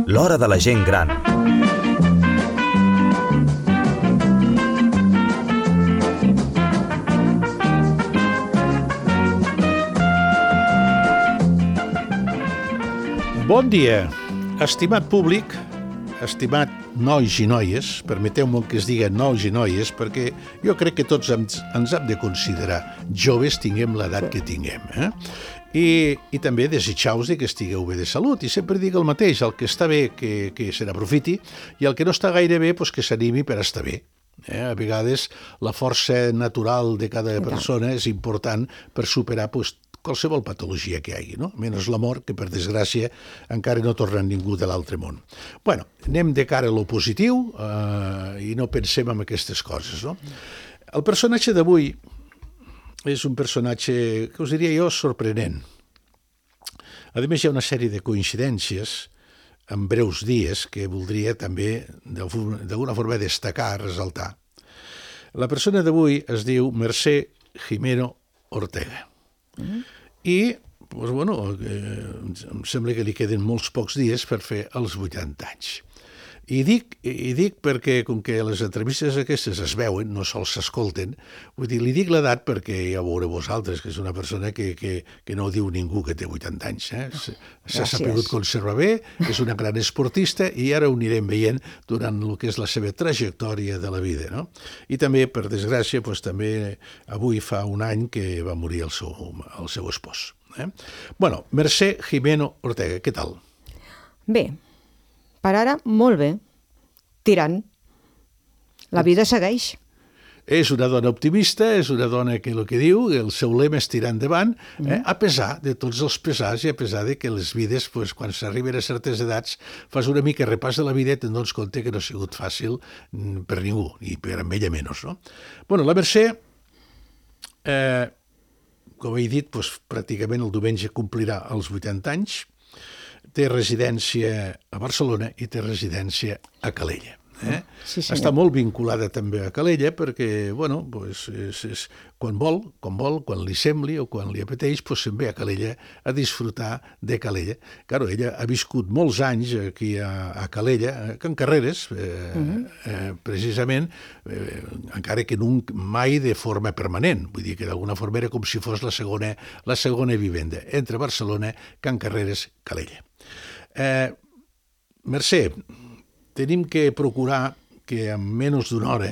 L'hora de la gent gran. Bon dia, estimat públic, estimat nois i noies, permeteu-me que es digui nois i noies, perquè jo crec que tots ens hem de considerar joves, tinguem l'edat que tinguem. I també desitjar-vos que estigueu bé de salut. I sempre dic el mateix, el que està bé que se n'aprofiti i el que no està gaire bé que s'animi per estar bé. A vegades la força natural de cada persona és important per superar qualsevol patologia que hi hagi, no? Menys la mort, que per desgràcia encara no torna ningú de l'altre món. Bueno, anem de cara a lo positiu i no pensem en aquestes coses, no? El personatge d'avui és un personatge, que us diria jo, sorprenent. A més, hi ha una sèrie de coincidències en breus dies que voldria també d'alguna forma destacar, ressaltar. La persona d'avui es diu Mercè Gimeno Ortega. I em sembla que li queden molts pocs dies per fer els 80 anys. I dic perquè, com que les entrevistes aquestes es veuen, no sols s'escolten, vull dir, li dic l'edat perquè ja ho veureu vosaltres, que és una persona que no diu ningú que té 80 anys. S'ha sabut conservar bé, és una gran esportista i ara ho anirem veient durant el que és la seva trajectòria de la vida, no? I també, per desgràcia, també avui fa un any que va morir el seu espòs. Bueno, Mercè Gimeno Ortega, què tal? Bé. Per ara, molt bé. Tirant. La vida segueix. És una dona optimista, és una dona que el que diu, el seu lema és tirar endavant, a pesar de tots els pesars i a pesar de que les vides, quan s'arriben a certes edats, fas una mica repàs de la vida i te'n dones compte que no ha sigut fàcil per ningú, i per amb ella menys, no? Bueno, la Mercè, com he dit, pràcticament el diumenge complirà els 80 anys, té residència a Barcelona i té residència a Calella. Sí, està molt vinculada també a Calella perquè, quan vol, quan li sembli o quan li apeteix, se'n ve a Calella a disfrutar de Calella. Claro, ella ha viscut molts anys aquí a Calella, a Can Carreres, precisament, encara que mai de forma permanent. Vull dir que d'alguna forma era com si fos la segona vivenda, entre Barcelona, Can Carreres, Calella. Mercè, tenim que procurar que en menys d'una hora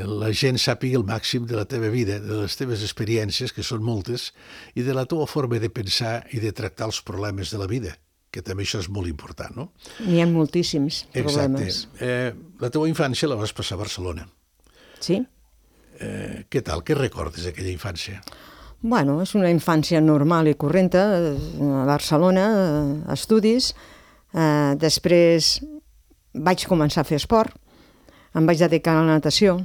la gent sàpiga el màxim de la teva vida, de les teves experiències, que són moltes, i de la teva forma de pensar i de tractar els problemes de la vida, que també això és molt important, no? N'hi ha moltíssims problemes. Exacte. La teva infància la vas passar a Barcelona. Sí. Què tal? Què recordes d'aquella infància? Bueno, és una infància normal i correnta, a Barcelona, estudis. Després vaig començar a fer esport, em vaig dedicar a la natació.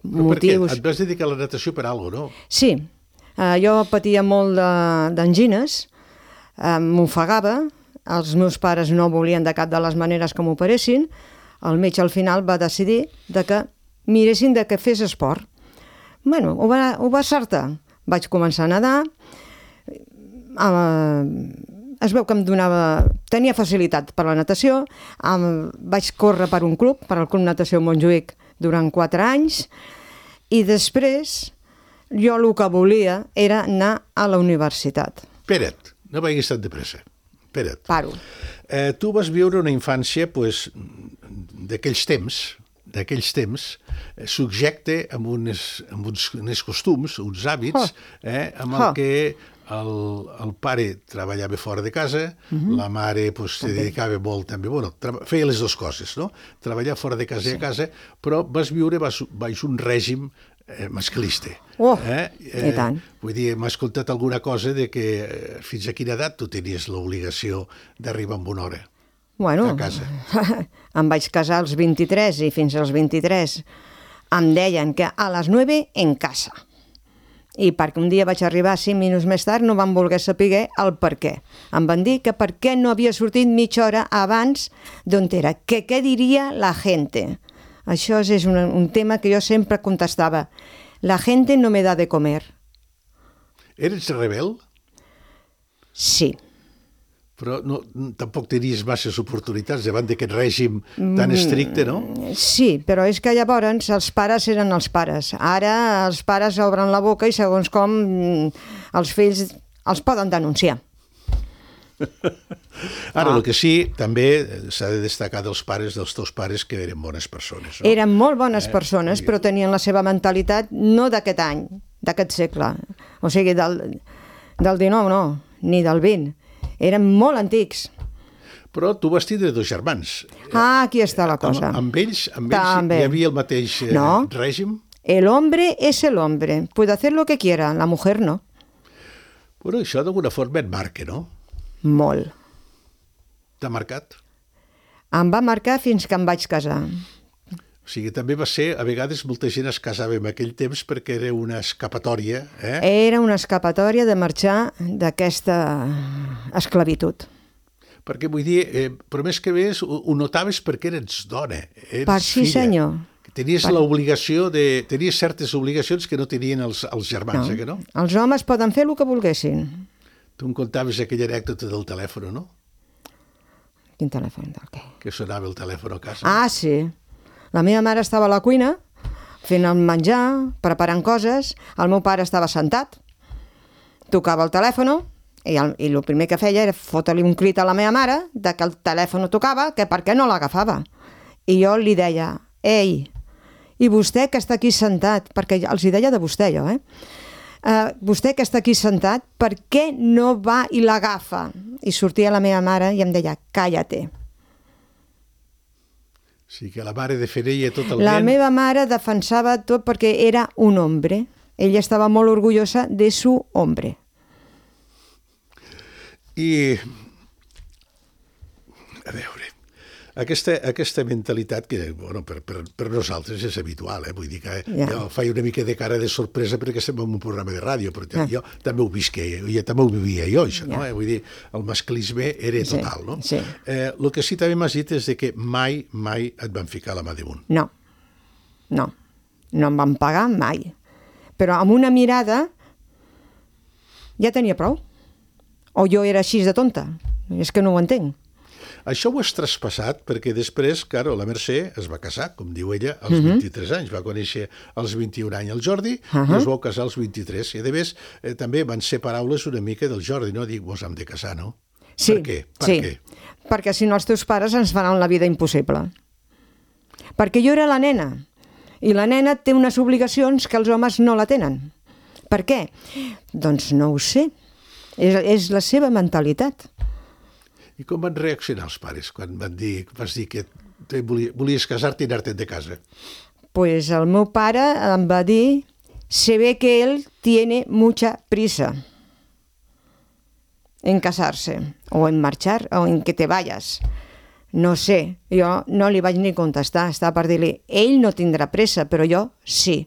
Però per què? Et vas dedicar a la natació per alguna cosa, no? Sí, jo patia molt d'angines, m'ofegava, els meus pares no volien de cap de les maneres que m'operessin, el metge al final va decidir que miressin de que fes esport. Bueno, ho va acertar. Vaig començar a nedar, es veu que tenia facilitat per la natació, vaig córrer per un club, per al Club Natació Montjuïc, durant 4 anys, i després jo el que volia era anar a la universitat. Espera't, no vagis tan de pressa. Espera't. Paro. Tu vas viure una infància d'aquells temps, subjecte amb uns costums, uns hàbits, amb el que el pare treballava fora de casa, la mare se dedicava molt també, feia les dues coses, no? Treballar fora de casa i a casa, però vas viure baix un règim masclista. I tant. Vull dir, m'has contat alguna cosa de que fins a quina edat tu tenies l'obligació d'arribar amb una hora a casa? Em vaig casar als 23 i fins als 23 em deien que a les 9 en casa. I perquè un dia vaig arribar 5 minuts més tard no van voler saber el per què. Em van dir que per què no havia sortit mitja hora abans d'on era, que què diria la gente. Això és un tema que jo sempre contestava. La gente no me da de comer. Eres rebel? Sí. Però no, tampoc tenies masses oportunitats davant d'aquest règim tan estricte, no? Sí, però és que llavors els pares eren els pares. Ara els pares obren la boca i segons com els fills els poden denunciar. Ara, el que sí, també s'ha de destacar dels teus pares, que eren bones persones. No? Eren molt bones persones, però tenien la seva mentalitat no d'aquest any, d'aquest segle. O sigui, del 19, no, ni del 20. Eren molt antics. Però tu vas tindre 2 germans. Ah, aquí està la cosa. Amb ells També. hi havia el mateix règim? El hombre es el hombre. Puede hacer lo que quiera, la mujer no. Bueno, això d'alguna forma et marca, no? Molt. T'ha marcat? Em va marcar fins que em vaig casar. O sigui, també va ser, a vegades molta gent es casava en aquell temps perquè era una escapatòria. Era una escapatòria de marxar d'aquesta esclavitud. Perquè vull dir, però més que més ho notaves perquè eres dona, eres Sí, filla. senyor. Tenies l'obligació tenies certes obligacions que no tenien els germans, que no? Els homes poden fer el que volguessin. Tu em contaves aquella anècdota del telèfon, no? Quin telèfon? Del què? Que sonava el telèfon a casa. Ah, sí. La meva mare estava a la cuina fent el menjar, preparant coses. El meu pare estava sentat, tocava el telèfon i el primer que feia era fotre-li un crit a la meva mare de que el telèfon tocava, que per què no l'agafava. I jo li deia, ei, i vostè que està aquí sentat, perquè els hi deia de vostè jo, vostè que està aquí sentat, per què no va i l'agafa? I sortia la meva mare i em deia, cállate. O sigui que la mare defenia totalment... La meva mare defensava tot perquè era un hombre. Ella estava molt orgullosa de su hombre. I, a veure, aquesta mentalitat que, bueno, per nosaltres és habitual, vull dir que jo faig una mica de cara de sorpresa perquè estem en un programa de ràdio, però jo també ho visqué, jo també ho vivia jo, això, no? Vull dir, el masclisme era total, no? Sí. El que sí també m'has dit és que mai et van ficar la mà damunt. No em van pagar mai. Però amb una mirada ja tenia prou. O jo era així de tonta. És que no ho entenc. Això ho has traspassat perquè després, claro, la Mercè es va casar, com diu ella, als 23 anys. Va conèixer als 21 anys el Jordi i es va casar als 23. I a més, també van ser paraules una mica del Jordi, no? Dic, vos hem de casar, no? Sí, per què? sí. Perquè si no els teus pares ens faran la vida impossible. Perquè jo era la nena i la nena té unes obligacions que els homes no la tenen. Per què? Doncs no ho sé. És la seva mentalitat. I com van reaccionar els pares quan vas dir que volies casar-te i anar-te'n de casa? Pues el meu pare em va dir, se ve que él tiene mucha prisa en casarse, o en marxar, o en que te vayas. No sé, jo no li vaig ni contestar, estava per dir-li, ell no tindrà pressa, però jo sí,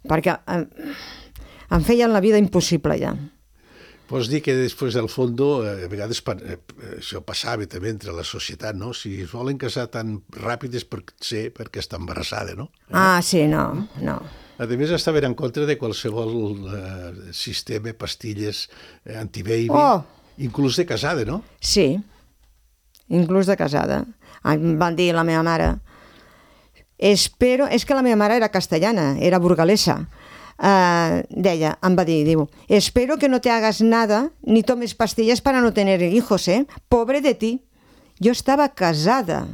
perquè em feien la vida impossible ja. Pots dir que després del fons, a vegades això passava també entre la societat, no? Si es volen casar tan ràpid és perquè està embarassada, no? Ah, sí, no. A més, estaven en contra de qualsevol sistema, pastilles, antibaby, inclús de casada, no? Sí, inclús de casada. Em van dir la meva mare, és que la meva mare era castellana, era burgalesa. Deia, em va dir, diu, espero que no te hagas nada ni tomes pastillas para no tener hijos, pobre de ti. Jo estava casada.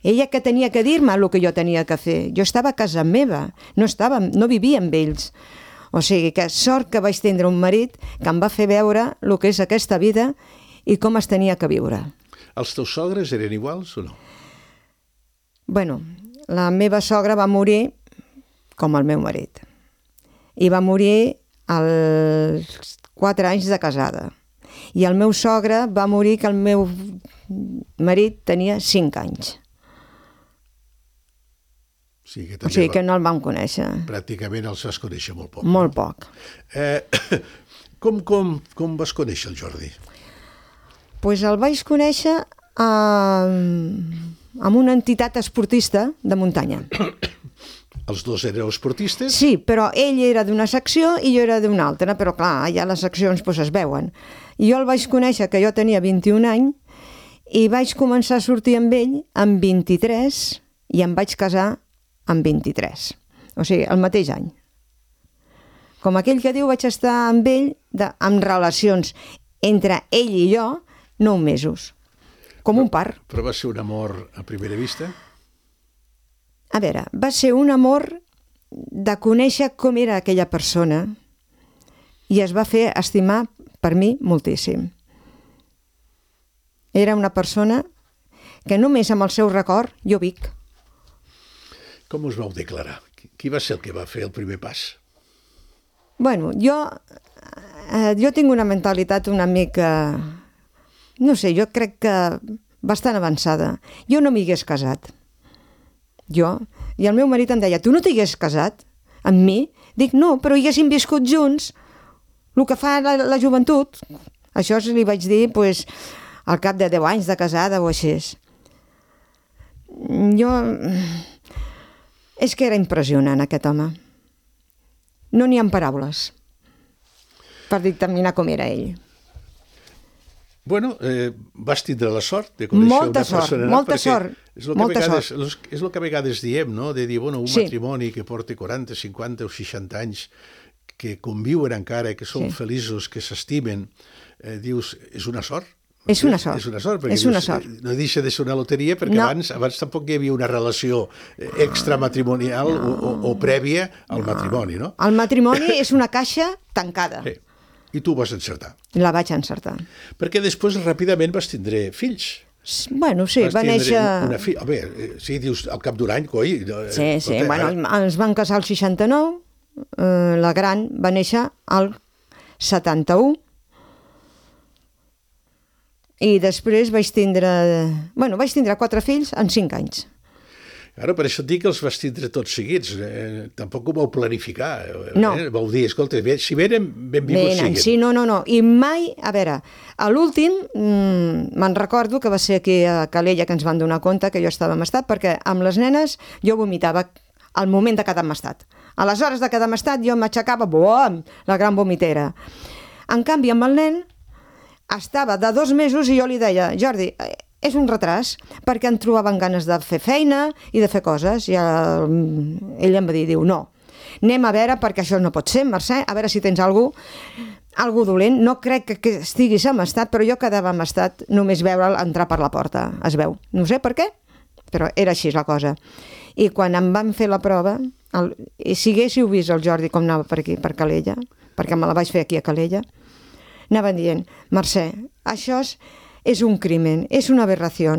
Ella que tenia que dir-me el que jo tenia que fer. Jo estava a casa meva, no vivia amb ells. O sigui que sort que vaig tindre un marit que em va fer veure el que és aquesta vida i com es tenia que viure. Els teus sogres eren iguals o no? Bueno, la meva sogra va morir com el meu marit. I va morir als 4 anys de casada. I el meu sogre va morir que el meu marit tenia 5 anys. O sigui que no el vam conèixer. Pràcticament els vas conèixer molt poc. Molt poc. Com vas conèixer el Jordi? Doncs el vaig conèixer amb una entitat esportista de muntanya. Els dos éreu esportistes? Sí, però ell era d'una secció i jo era d'una altra, però clar, allà les seccions doncs, es veuen. I jo el vaig conèixer que jo tenia 21 anys i vaig començar a sortir amb ell amb 23 i em vaig casar amb 23. O sigui, el mateix any. Com aquell que diu, vaig estar amb ell amb relacions entre ell i jo 9 mesos. Com un par. Però va ser un amor a primera vista? A veure, va ser un amor de conèixer com era aquella persona i es va fer estimar per mi moltíssim. Era una persona que només amb el seu record jo vic. Com us vau declarar? Qui va ser el que va fer el primer pas? Bueno, jo tinc una mentalitat una mica... No sé, jo crec que bastant avançada. Jo no m'hi hagués casat. Jo. I el meu marit em deia, tu no t'hagués casat amb mi? Dic, no, però hi haguéssim viscut junts. El que fa la joventut. Això li vaig dir, doncs, al cap de 10 anys de casada o així. Jo... És que era impressionant, aquest home. No n'hi ha paraules per dictaminar com era ell. Bueno, vas tindre la sort de conèixer una persona... Molta sort. És el que a vegades diem, no? De dir, bueno, un matrimoni que porta 40, 50 o 60 anys, que conviuen encara, que són feliços, que s'estimen, dius, és una sort? És una sort. És una sort, perquè és una sort. No deixa de ser una loteria, perquè abans tampoc hi havia una relació extramatrimonial o prèvia al matrimoni, no? El matrimoni és una caixa tancada. Sí. I tu vas encertar. La vaig encertar. Perquè després ràpidament vas tindre fills. Bueno, sí, va néixer... A veure, sí, dius, al cap d'un any, coi... Sí, bueno, ens van casar al 69, la gran va néixer al 71, i després vaig tindre 4 fills en 5 anys. Ara, per això et dic que els vas tindre tots seguits. Tampoc ho vau planificar. No. Vau dir, escolta, si venen, benvinguts siguin. Sí, no. I mai, a veure, a l'últim, me'n recordo que va ser aquí a Calella que ens van donar compte que jo estava en estat, perquè amb les nenes jo vomitava al moment de quedar en estat. A les hores de quedar en estat jo m'aixecava, la gran vomitera. En canvi, amb el nen, estava de 2 mesos i jo li deia, Jordi, és un retras, perquè em trobaven ganes de fer feina i de fer coses. I ell em va dir, no, anem a veure, perquè això no pot ser, Mercè, a veure si tens algú dolent. No crec que estiguis en estat, però jo quedava en estat només veure'l entrar per la porta. Es veu. No sé per què, però era així la cosa. I quan em van fer la prova, si haguéssiu vist el Jordi com anava per aquí, per Calella, perquè me la vaig fer aquí a Calella, anaven dient, Mercè, això és un crimen, és una aberració.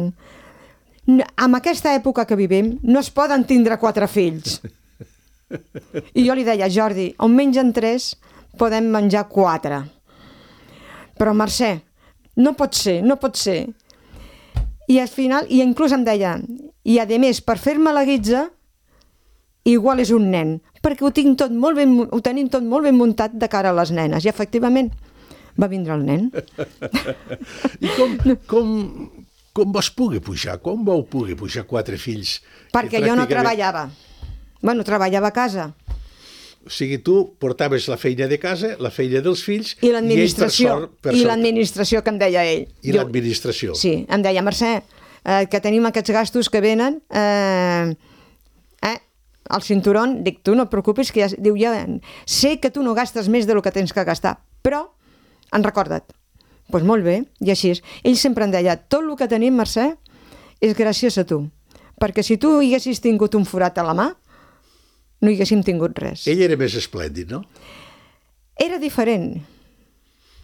En aquesta època que vivim no es poden tindre 4 fills. I jo li deia, Jordi, on mengen 3 podem menjar 4. Però Mercè, no pot ser. I al final, i inclús em deia, i a més, per fer-me la guitza, igual és un nen, perquè ho tenim tot molt ben muntat de cara a les nenes. I efectivament, va vindre el nen. I com vas poder pujar? Com vau poder pujar 4 fills? Perquè jo no treballava. Bueno, treballava a casa. O sigui, tu portaves la feina de casa, la feina dels fills... I l'administració. I l'administració que em deia ell. I l'administració. Sí, em deia, Mercè, que tenim aquests gastos que venen... El cinturón, dic, tu no et preocupis, que diu, ja sé que tu no gastes més del que tens que gastar, però en recorda't. Doncs molt bé, i així és. Ell sempre em deia, tot el que tenim, Mercè, és gràcies a tu. Perquè si tu haguessis tingut un forat a la mà, no hi haguéssim tingut res. Ell era més esplèndid, no? Era diferent.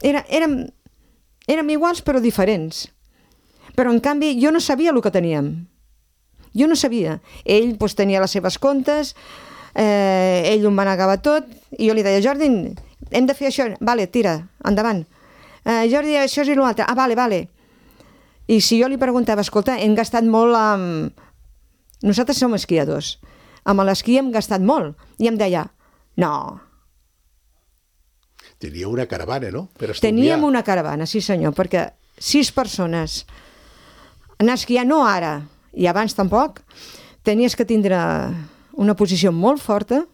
Érem iguals però diferents. Però en canvi jo no sabia el que teníem. Jo no sabia. Ell doncs, tenia les seves comptes, ell ho manegava tot, i jo li deia, Jordi, hem de fer això. Vale, tira, endavant. Jordi, això és i l'altre. Vale. I si jo li preguntava, escolta, hem gastat molt amb... Nosaltres som esquiadors. Amb l'esquí hem gastat molt. I em deia, no. Tenia una caravana, no? Per estudiar. Teníem una caravana, sí senyor, perquè 6 persones anar a esquiar, no ara, i abans tampoc, tenies que tindre una posició molt forta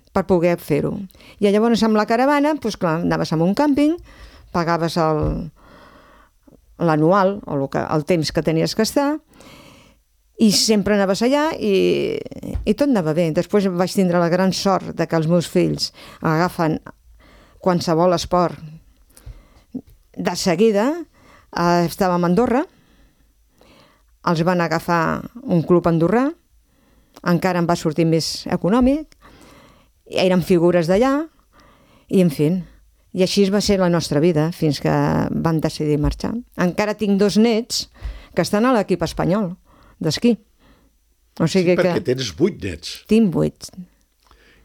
per poder fer-ho. I llavors amb la caravana, doncs clar, anaves a un càmping, pagaves l'anual, o el temps que tenies que estar, i sempre anaves allà i tot anava bé. Després vaig tindre la gran sort de que els meus fills agafen qualsevol esport. De seguida estàvem a Andorra, els van agafar un club andorrà, encara em va sortir més econòmic, eren figures d'allà, i en fi, i així va ser la nostra vida fins que vam decidir marxar. Encara tinc 2 nets que estan a l'equip espanyol d'esquí. O sigui perquè tens 8 nets. Tinc 8.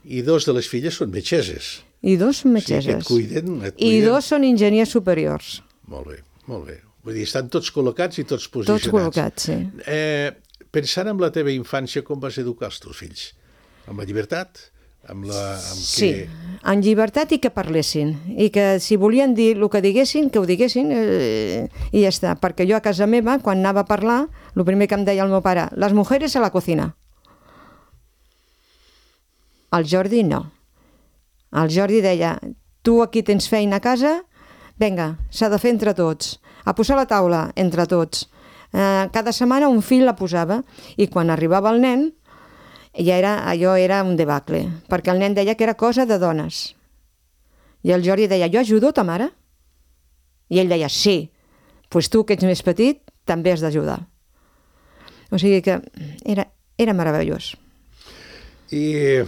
I 2 de les filles són metgesses. I 2 són metgesses. O sigui, et cuiden. I 2 són enginyers superiors. Molt bé, molt bé. Vull dir, estan tots col·locats i tots posicionats. Tots col·locats, sí. Pensant en la teva infància, com vas educar els teus fills? Amb la llibertat? Sí, en llibertat i que parlessin. I que si volien dir el que diguessin, que ho diguessin i ja està. Perquè jo a casa meva, quan anava a parlar, el primer que em deia el meu pare, les mujeres a la cocina. El Jordi no. El Jordi deia, tu aquí tens feina a casa, vinga, s'ha de fer entre tots. A posar la taula entre tots. Cada setmana un fill la posava i quan arribava el nen allò era un debacle, perquè el nen deia que era cosa de dones. I el Jordi deia, jo ajudo ta mare? I ell deia, sí, doncs tu que ets més petit també has d'ajudar. O sigui que era meravellós. I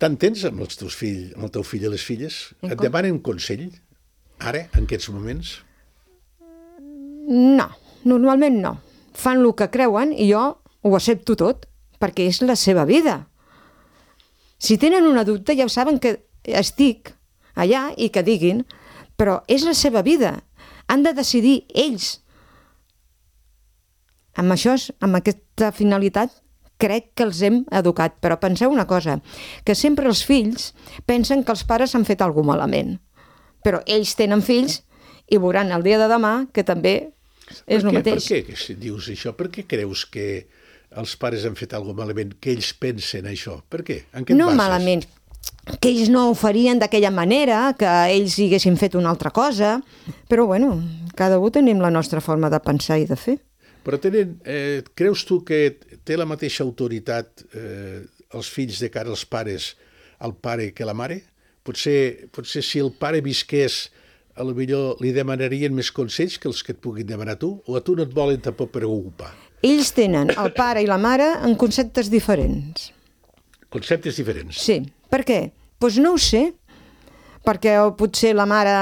t'entens amb els teus fills, amb el teu fill i les filles? Et demanen consell, ara, en aquests moments? No, normalment no. Fan el que creuen i jo ho accepto tot, perquè és la seva vida. Si tenen una dubte ja saben que estic allà i que diguin, però és la seva vida. Han de decidir ells. Amb això, amb aquesta finalitat, crec que els hem educat. Però penseu una cosa, que sempre els fills pensen que els pares han fet alguna cosa malament. Però ells tenen fills i veuran el dia de demà que també és el mateix. Per què dius això? Per què creus que els pares han fet alguna cosa malament, que ells pensen això? Per què? En què et bases? No malament, que ells no ho farien d'aquella manera, que ells haguessin fet una altra cosa, però bueno, cada un tenim la nostra forma de pensar i de fer. Però creus tu que té la mateixa autoritat els fills de cara als pares, al pare que la mare? Potser si el pare visqués, potser li demanarien més consells que els que et puguin demanar tu, o a tu no et volen tampoc preocupar? Ells tenen el pare i la mare en conceptes diferents. Conceptes diferents? Sí. Per què? Doncs no ho sé. Perquè potser la mare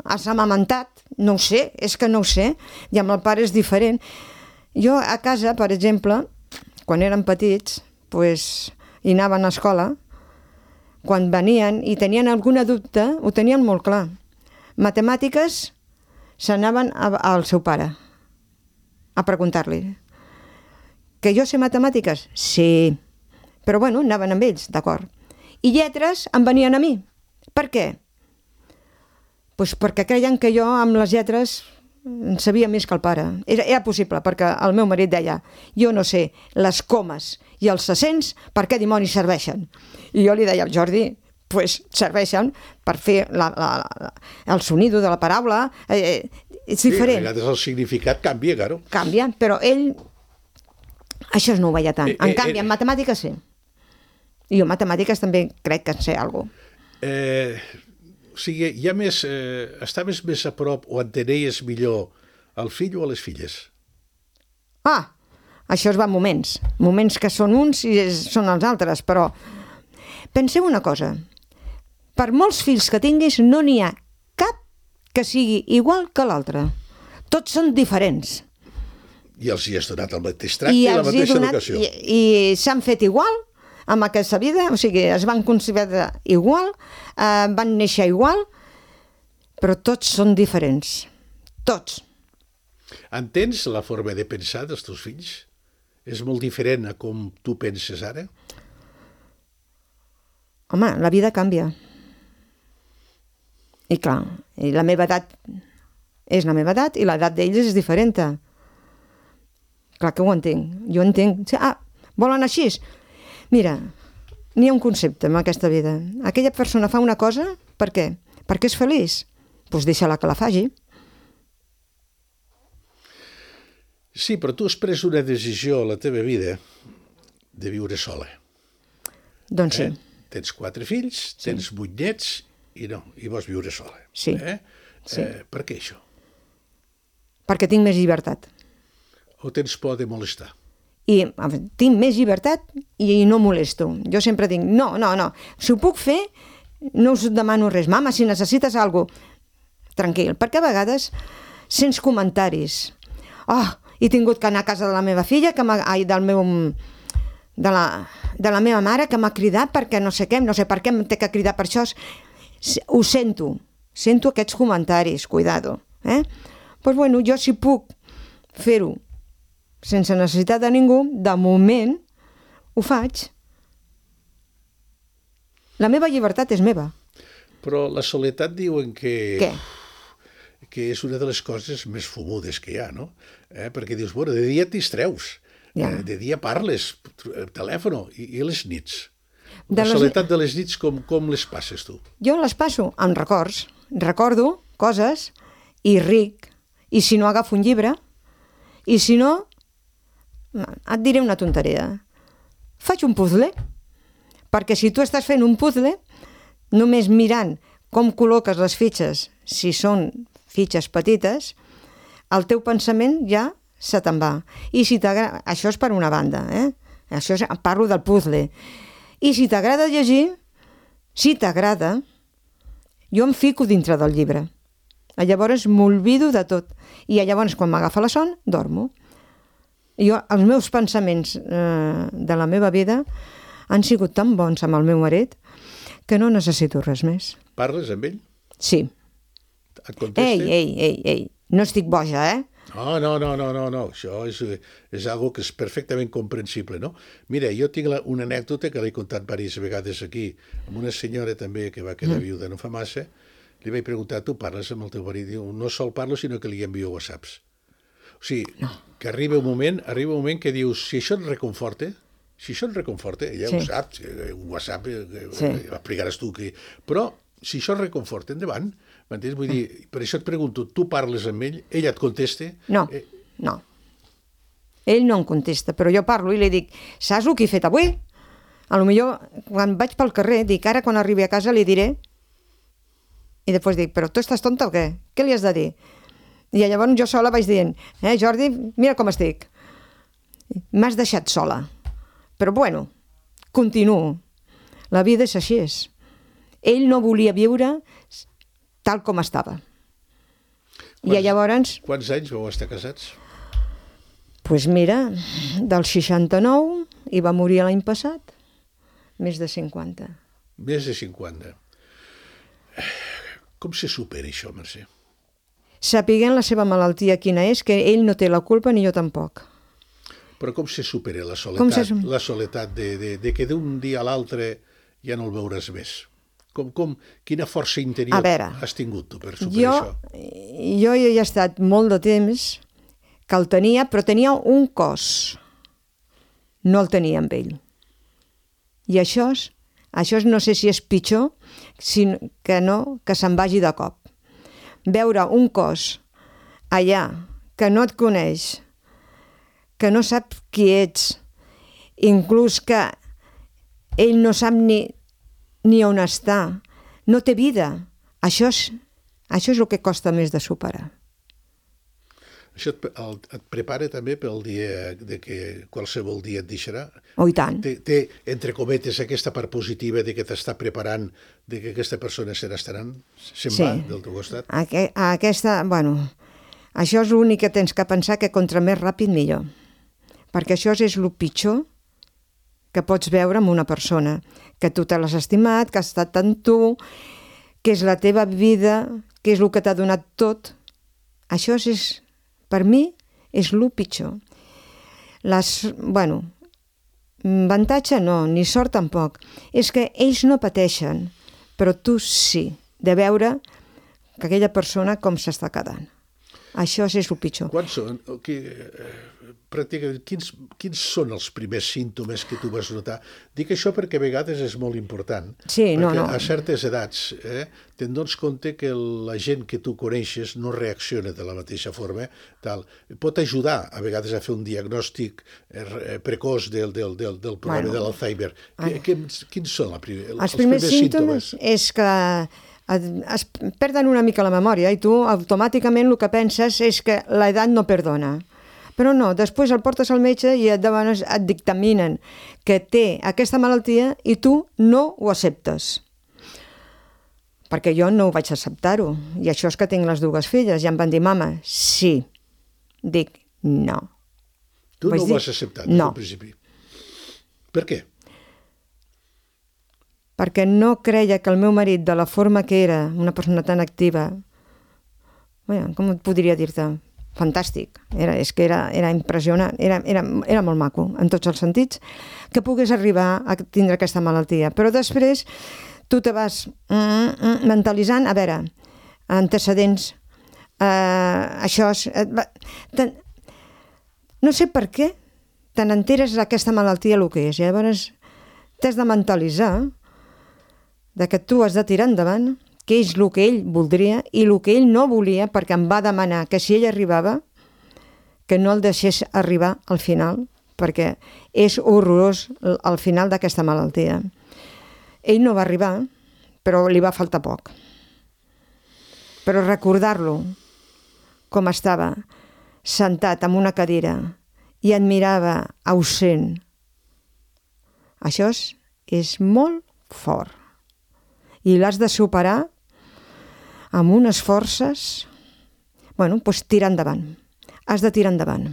s'ha amamentat, no ho sé, és que no ho sé, i amb el pare és diferent. Jo a casa, per exemple, quan érem petits, hi anaven a escola, quan venien i tenien alguna dubte, ho tenien molt clar. Matemàtiques, s'anaven al seu pare a preguntar-li. Que jo sé matemàtiques? Sí. Però bueno, anaven amb ells, d'acord. I lletres em venien a mi. Per què? Doncs perquè creien que jo amb les lletres en sabia més que el pare. Era possible, perquè el meu marit deia, jo no sé les comes i els accents per què dimonis serveixen. I jo li deia al Jordi, doncs serveixen per fer el sonido de la paraula. És diferent. Sí, a vegades el significat canvia, claro. Canvia, però ell això no ho veia tant. En canvi, en matemàtiques sí. I jo en matemàtiques també crec que en sé alguna cosa. O sigui, estaves més a prop o entenies millor el fill o a les filles? Això es va en moments. Moments que són uns i són els altres, però penseu una cosa. Per molts fills que tinguis, no n'hi ha cap que sigui igual que l'altre. Tots són diferents. I els hi has donat el mateix tracte i la mateixa educació. I s'han fet igual amb aquesta vida, o sigui, es van concebre igual, van néixer igual, però tots són diferents. Tots. Entens la forma de pensar dels teus fills? És molt diferent a com tu penses ara? Home, la vida canvia. I clar, i la meva edat és la meva edat i l'edat d'ells és diferent. Clar que ho entenc. Jo entenc. Volen així? Mira, n'hi ha un concepte en aquesta vida. Aquella persona fa una cosa, per què? Perquè és feliç. Doncs deixa-la que la faci. Sí, però tu has pres una decisió a la teva vida de viure sola. Doncs sí. Tens 4 fills, tens 8 nets i vols viure sola. Sí. Sí. Per què això? Perquè tinc més llibertat. O tens por de molestar? I tinc més llibertat i no molesto. Jo sempre dic, no. Si ho puc fer, no us demano res. Mama, si necessites alguna cosa, tranquil. Perquè a vegades sents comentaris. He tingut que anar a casa de la meva filla, de la meva mare, que m'ha cridat perquè no sé què, no sé per què em té que cridar per això. Ho sento aquests comentaris, cuidado. Doncs bueno, jo si puc fer-ho sense necessitat de ningú, de moment ho faig. La meva llibertat és meva. Però la soledat diuen que... Què? Que és una de les coses més fumudes que hi ha, no? Perquè dius, bueno, de dia t'hi treus, de dia parles, telèfon, i les nits? La soledat de les nits, com les passes tu? Jo les passo amb records. Recordo coses i ric. I si no, agafo un llibre. I si no, et diré una tonteria. Faig un puzzle. Perquè si tu estàs fent un puzzle, només mirant com col·loques les fitxes, si són fitxes petites, el teu pensament ja se te'n va. I si t'agrada... Això és per una banda, Això parlo del puzzle. I si t'agrada llegir, si t'agrada, jo em fico dintre del llibre. Llavors m'olvido de tot. I llavors, quan m'agafa la son, dormo. Els meus pensaments de la meva vida han sigut tan bons amb el meu marit que no necessito res més. Parles amb ell? Sí. Et contesta? Ei, no estic boja, No. Això és algo que és perfectament comprensible, no? Mira, jo tinc una anècdota que l'he contat diverses vegades aquí, amb una senyora també que va quedar viuda no fa massa. Li vaig preguntar, tu parles amb el teu marit? Diu, no sol parlo, sinó que li envio whatsapps. O sigui, que arriba un moment que dius, si això et reconforta, ella ho sap, un WhatsApp, explicaràs tu que... Però, si això et reconforta, endavant. M'entens? Vull dir, per això et pregunto, tu parles amb ell, ella et contesta? No. Ell no em contesta, però jo parlo i li dic, saps el que he fet avui? A lo millor, quan vaig pel carrer, dic, ara quan arribi a casa li diré, i després dic, però tu estàs tonta o què? Què li has de dir? I llavors jo sola vaig dient, Jordi, mira com estic. M'has deixat sola. Però bueno, continuo. La vida és així. Ell no volia viure tal com estava. I llavors... Quants anys vau estar casats? Doncs mira, del 69 i va morir l'any passat. Més de 50. Més de 50. Com se supera això, Mercè? Sapiguent la seva malaltia quina és, que ell no té la culpa ni jo tampoc. Però com se supera la soledat, la soledat de que d'un dia a l'altre ja no el veuràs més? Quina força interior has tingut tu per superar això? Jo hi he estat molt de temps que el tenia, però tenia un cos. No el tenia amb ell. I això no sé si és pitjor que se'n vagi de cop. Veure un cos allà que no et coneix, que no sap qui ets, inclús que ell no sap ni on està, no té vida. Això és el que costa més de superar. Això et prepara també pel dia de que qualsevol dia et deixarà? Oh, i tant. Té, entre cometes, aquesta part positiva de que t'està preparant, de que aquesta persona se'n va del teu costat? Això és l'únic que tens que pensar, que contra més ràpid millor. Perquè això és el pitjor que pots veure en una persona, que tu te l'has estimat, que ha estat amb tu, que és la teva vida, que és el que t'ha donat tot. Això és, per mi, és el pitjor. Avantatge no, ni sort tampoc. És que ells no pateixen, però tu sí, de veure que aquella persona com s'està quedant. Això és el pitjor. Quants són? Pràcticament, quins són els primers símptomes que tu vas notar? Dic això perquè a vegades és molt important. Sí, perquè no. A certes edats te'n dones compte que la gent que tu coneixes no reacciona de la mateixa forma. Pot ajudar a vegades a fer un diagnòstic precoç del problema de l'Alzheimer. Quins són els primers símptomes? És que es perden una mica la memòria i tu automàticament el que penses és que l'edat no perdona. Però no, després el portes al metge i et dictaminen que té aquesta malaltia i tu no ho acceptes. Perquè jo no ho vaig acceptar-ho. I això és que tinc les dues filles. I em van dir, mama, sí. Dic, no. Tu no ho vas acceptar des del principi. Per què? Perquè no creia que el meu marit, de la forma que era, una persona tan activa, com et podria dir-te? Fantàstic, és que era impressionant, era molt maco en tots els sentits, que pogués arribar a tindre aquesta malaltia. Però després tu te vas mentalitzant, a veure, antecedents, això és... No sé per què te n'enteres d'aquesta malaltia el que és. Llavors t'has de mentalitzar de que tu has de tirar endavant, que és el que ell voldria i el que ell no volia, perquè em va demanar que si ell arribava, que no el deixés arribar al final, perquè és horrorós al final d'aquesta malaltia. Ell no va arribar, però li va faltar poc. Però recordar-lo com estava sentat en una cadira i et mirava ausent, això és molt fort. I l'has de superar amb unes forces, doncs tirar endavant. Has de tirar endavant.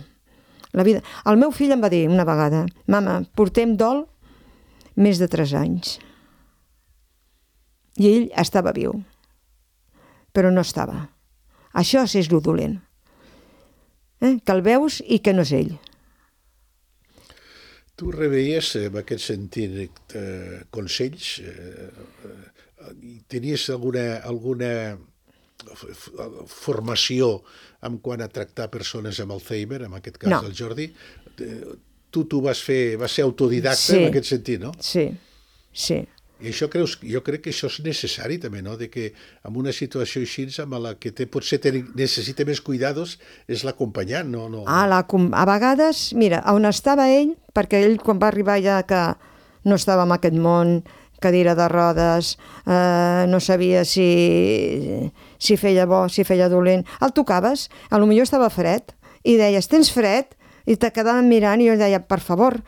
La vida. El meu fill em va dir una vegada, mama, portem dol més de 3 anys. I ell estava viu, però no estava. Això és lo dolent. Que el veus i que no és ell. Tu rebeies en aquest sentit consells? Tenies alguna formació en quant a tractar persones amb Alzheimer, en aquest cas el Jordi? Tu vas ser autodidacta en aquest sentit, no? Sí. I això jo crec que això és necessari també, no? De que en una situació així amb la que potser necessita més cuidados és l'acompanyant, no? A vegades, mira, on estava ell, perquè ell quan va arribar ja que no estava en aquest món, cadira de rodes, no sabia si feia bo, si feia dolent. El tocaves, potser estava fred, i deies, tens fred? I te quedaven mirant i jo deia, per favor,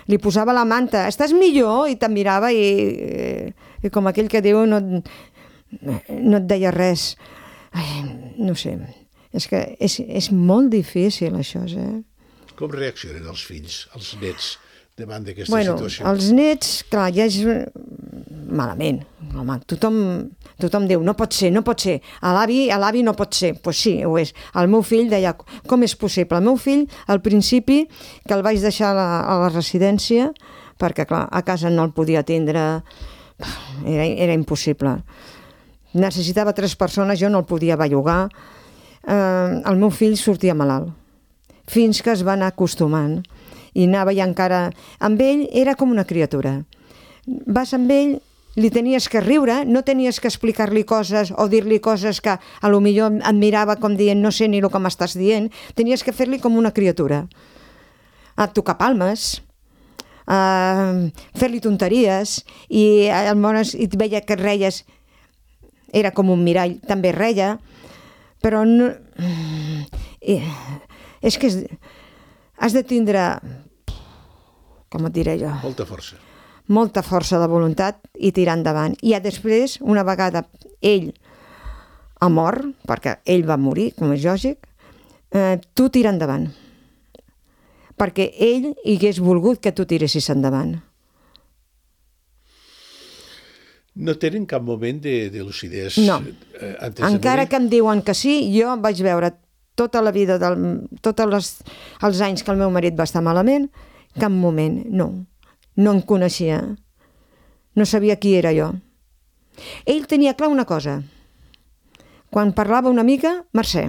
li posava la manta, estàs millor? I te'n mirava i com aquell que diu no et deia res. No sé, és que és molt difícil això, Com reaccionen els fills, els nets, davant d'aquesta situació? Els nets, clar, ja és malament. Home, tothom diu, no pot ser. A l'avi no pot ser. Doncs sí, ho és. El meu fill deia, com és possible? El meu fill, al principi, que el vaig deixar a la residència, perquè, clar, a casa no el podia atendre, era impossible. Necessitava 3 persones, jo no el podia bellugar. El meu fill sortia malalt, fins que es va anar acostumant. I anava i encara... Amb ell era com una criatura. Vas amb ell, li tenies que riure, no tenies que explicar-li coses o dir-li coses que a lo millor et mirava com dient no sé ni el que m'estàs dient, tenies que fer-li com una criatura. A tocar palmes, fer-li tonteries, i aleshores et veia que reies, era com un mirall, també reia, però no... És que has de tindre, com et diré jo? Molta força de voluntat i tirar endavant. I després, una vegada ell ha mort, perquè ell va morir, com és lògic, tu tira endavant. Perquè ell hagués volgut que tu tiressis endavant. No tenen cap moment de lucidesa? No. Encara que em diuen que sí, jo vaig veure tota la vida, tots els anys que el meu marit va estar malament, cap moment, no em coneixia, no sabia qui era jo. Ell tenia clar una cosa, quan parlava una mica, Mercè,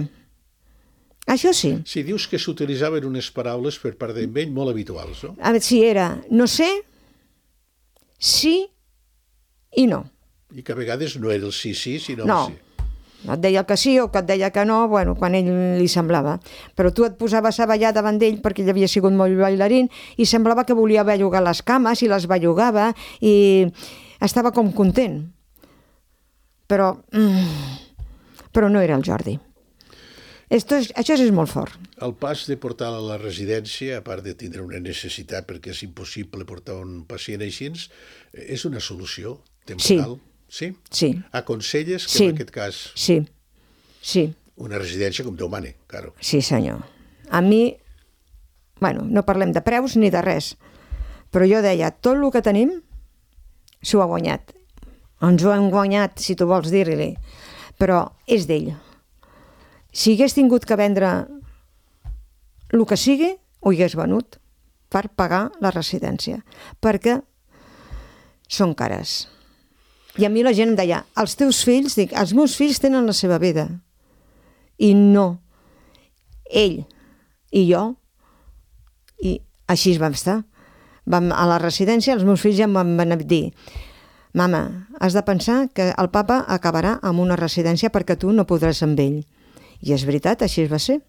Això sí. Si dius que s'utilitzaven unes paraules per part d'ell molt habituals, no? A veure, si era no sé, sí i no. I que a vegades no era el sí, sinó No. el sí. Et deia que sí o que et deia que no, bueno, quan ell li semblava. Però tu et posaves a ballar davant d'ell perquè ell havia sigut molt bailarín i semblava que volia bellugar les cames i les bellugava i estava com content. Però no era el Jordi. Això és molt fort. El pas de portar-la a la residència, a part de tindre una necessitat perquè és impossible portar un pacient així, és una solució temporal? Sí. Sí? Aconselles que Sí. en aquest cas Sí. una residència com Déu mane, claro. Sí, senyor. A mi, bueno, no parlem de preus ni de res, però jo deia, tot el que tenim s'ho ha guanyat. Ens ho hem guanyat, si tu vols dir-li, però és d'ell. Si hagués tingut que vendre el que sigui, ho hagués venut per pagar la residència, perquè són cares. I a mi la gent em deia, els teus fills, dic, els meus fills tenen la seva vida. I no. Ell i jo, i així vam estar. Vam a la residència, els meus fills ja em van dir, mama, has de pensar que el papa acabarà amb una residència perquè tu no podràs amb ell. I és veritat, així va ser.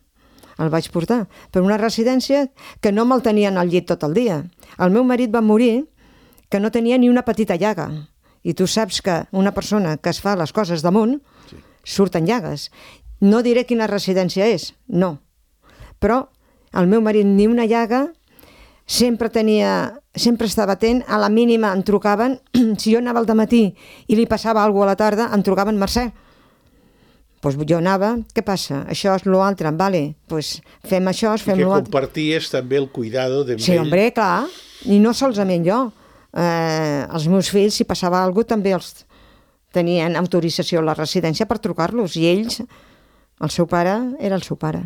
El vaig portar per una residència que no me'l tenien al llit tot el dia. El meu marit va morir que no tenia ni una petita llaga. I tu saps que una persona que es fa les coses damunt surten llagues. No diré quina residència és, no. Però el meu marit ni una llaga, sempre estava atent, a la mínima em trucaven, si jo anava al dematí i li passava alguna cosa a la tarda, em trucaven, Mercè. Doncs jo anava, què passa? Això és l'altre, vale, doncs fem això, fem l'altre. I que comparties també el cuidado d'ell. Sí, home, clar, i no solament jo. Els meus fills, si passava alguna cosa, també els tenien autorització a la residència per trucar-los, i ells, el seu pare era el seu pare.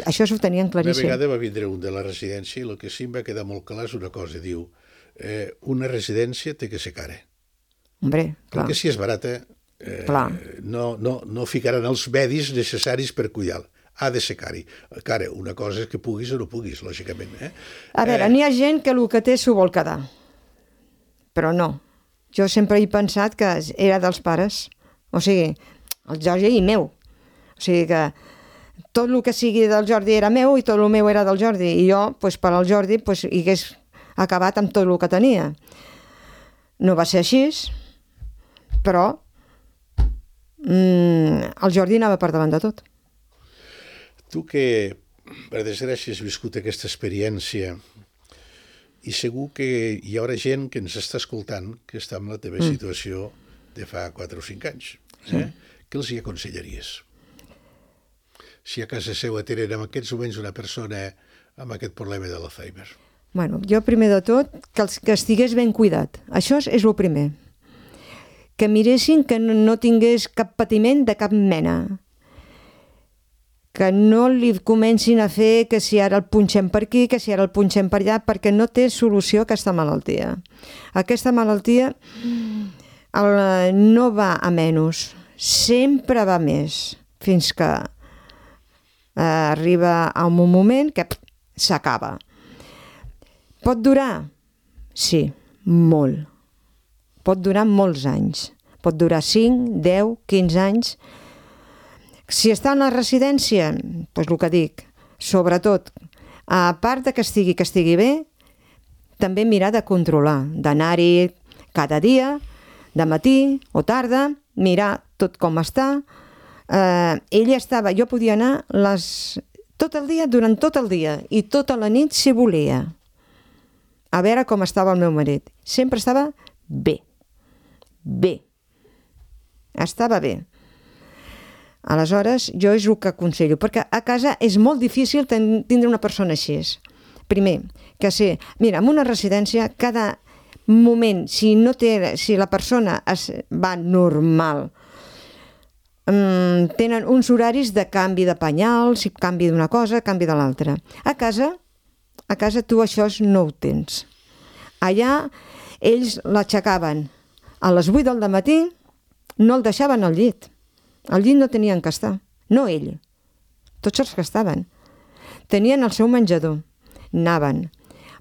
Això s'ho tenien claríssim. Una vegada va vindre un de la residència i el que sí em va quedar molt clar és una cosa, diu, una residència té que ser cara. Hombre, clar. Perquè si és barata, no ficaran els medis necessaris per cuidar-la. Ha de ser cara. Una cosa és que puguis o no puguis, lògicament. A veure, n'hi ha gent que el que té s'ho vol quedar. Però no. Jo sempre he pensat que era dels pares. O sigui, el Jordi i meu. O sigui que tot el que sigui del Jordi era meu i tot el meu era del Jordi. I jo, per al Jordi, hi hagués acabat amb tot el que tenia. No va ser així, però el Jordi anava per davant de tot. Tu que, per desgràcia, has viscut aquesta experiència i segur que hi haurà gent que ens està escoltant que està en la teva situació de fa 4 o 5 anys. Què els hi aconsellaries? Si a casa seva tenen en aquests moments una persona amb aquest problema de l'Alzheimer. Bueno, jo primer de tot, que estigués ben cuidat. Això és el primer. Que miressin que no tingués cap patiment de cap mena. Que no li comencin a fer que si ara el punxem per aquí, que si ara el punxem per allà, perquè no té solució aquesta malaltia. Aquesta malaltia no va a menys, sempre va més, fins que arriba a un moment que s'acaba. Pot durar? Sí, molt. Pot durar molts anys. Pot durar 5, 10, 15 anys. Si està en la residència, doncs el que dic, sobretot, a part de que estigui bé, també mirar de controlar, d'anar-hi cada dia, de matí o tarda, mirar tot com està. Jo podia anar tot el dia, durant tot el dia, i tota la nit si volia, a veure com estava el meu marit. Sempre estava bé. Bé. Estava bé. Aleshores, jo és el que aconsello, perquè a casa és molt difícil tindre una persona així. Primer, que mira, en una residència, cada moment, si la persona va normal, tenen uns horaris de canvi de penyals, canvi d'una cosa, canvi de l'altra. A casa tu això no ho tens. Allà ells l'aixecaven a les 8 del matí, no el deixaven al llit. Al llit no tenien que estar. No ell, tots els que estaven. Tenien el seu menjador, anaven,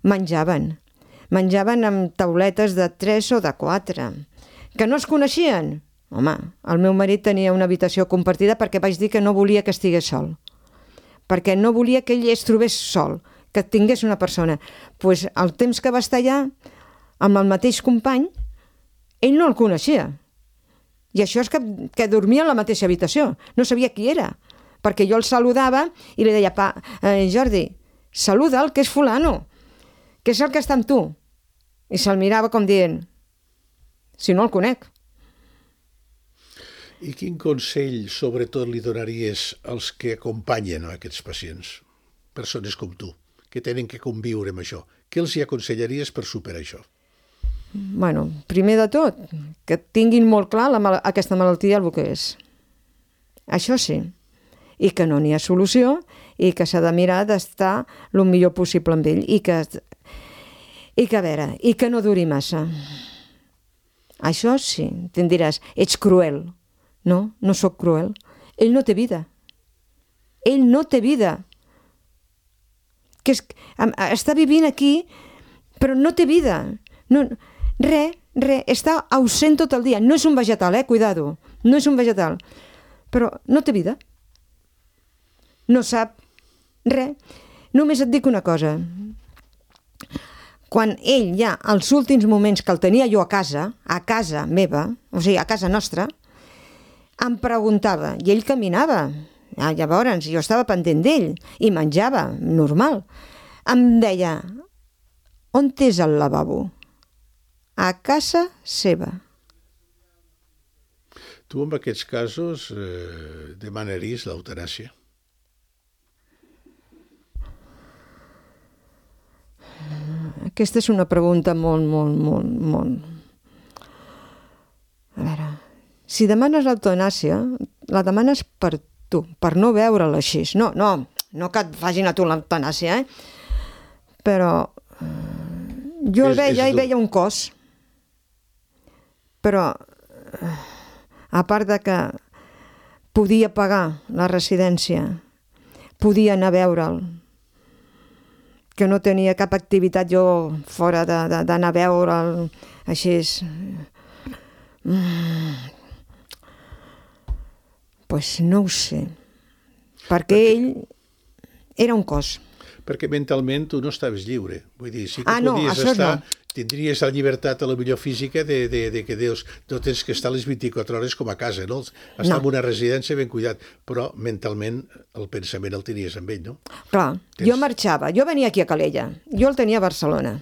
menjaven amb tauletes de 3 o de 4, que no es coneixien. Home, el meu marit tenia una habitació compartida perquè vaig dir que no volia que estigués sol, perquè no volia que ell es trobés sol, que tingués una persona. Doncs el temps que va estar allà, amb el mateix company, ell no el coneixia. I això és que dormia en la mateixa habitació. No sabia qui era, perquè jo el saludava i li deia, Jordi, saluda'l, que és fulano, que és el que està amb tu. I se'l mirava com dient, si no el conec. I quin consell, sobretot, li donaries als que acompanyen aquests pacients, persones com tu, que tenen que conviure amb això? Què els hi aconsellaries per superar això? Bueno, primer de tot, que tinguin molt clar aquesta malaltia el que és. Això sí, i que no n'hi ha solució i que s'ha de mirar d'estar el millor possible amb ell i que a veure, i que no duri massa. Això sí, te'n diràs, ets cruel. No, no sóc cruel. Ell no té vida. Ell no té vida. Està vivint aquí, però no té vida. No, res, està ausent tot el dia. No és un vegetal, cuidado. No és un vegetal. Però no té vida. No sap res. Només et dic una cosa. Quan ell ja, als últims moments que el tenia jo a casa meva, o sigui, a casa nostra, em preguntava, i ell caminava, llavors jo estava pendent d'ell, i menjava, normal. Em deia, on és el lavabo? A casa seva. Tu en aquests casos demanaries l'eutanàsia? Aquesta és una pregunta molt... A veure, si demanes l'eutanàsia, la demanes per tu, per no veure-la així. No que et facin a tu l'eutanàsia, Però jo el veia i veia un cos. Però, a part de que podia pagar la residència, podia anar a veure'l, que no tenia cap activitat jo fora d'anar a veure'l així. Pues no ho sé, perquè ell era un cos. Perquè mentalment tu no estaves lliure. Vull dir, sí que podies estar, tindries la llibertat a la millor física de que Déus, no tens que estar les 24 hores com a casa, no? Estar en una residència ben cuidat, però mentalment el pensament el tenies amb ell, no? Clar, jo marxava, jo venia aquí a Calella, jo el tenia a Barcelona.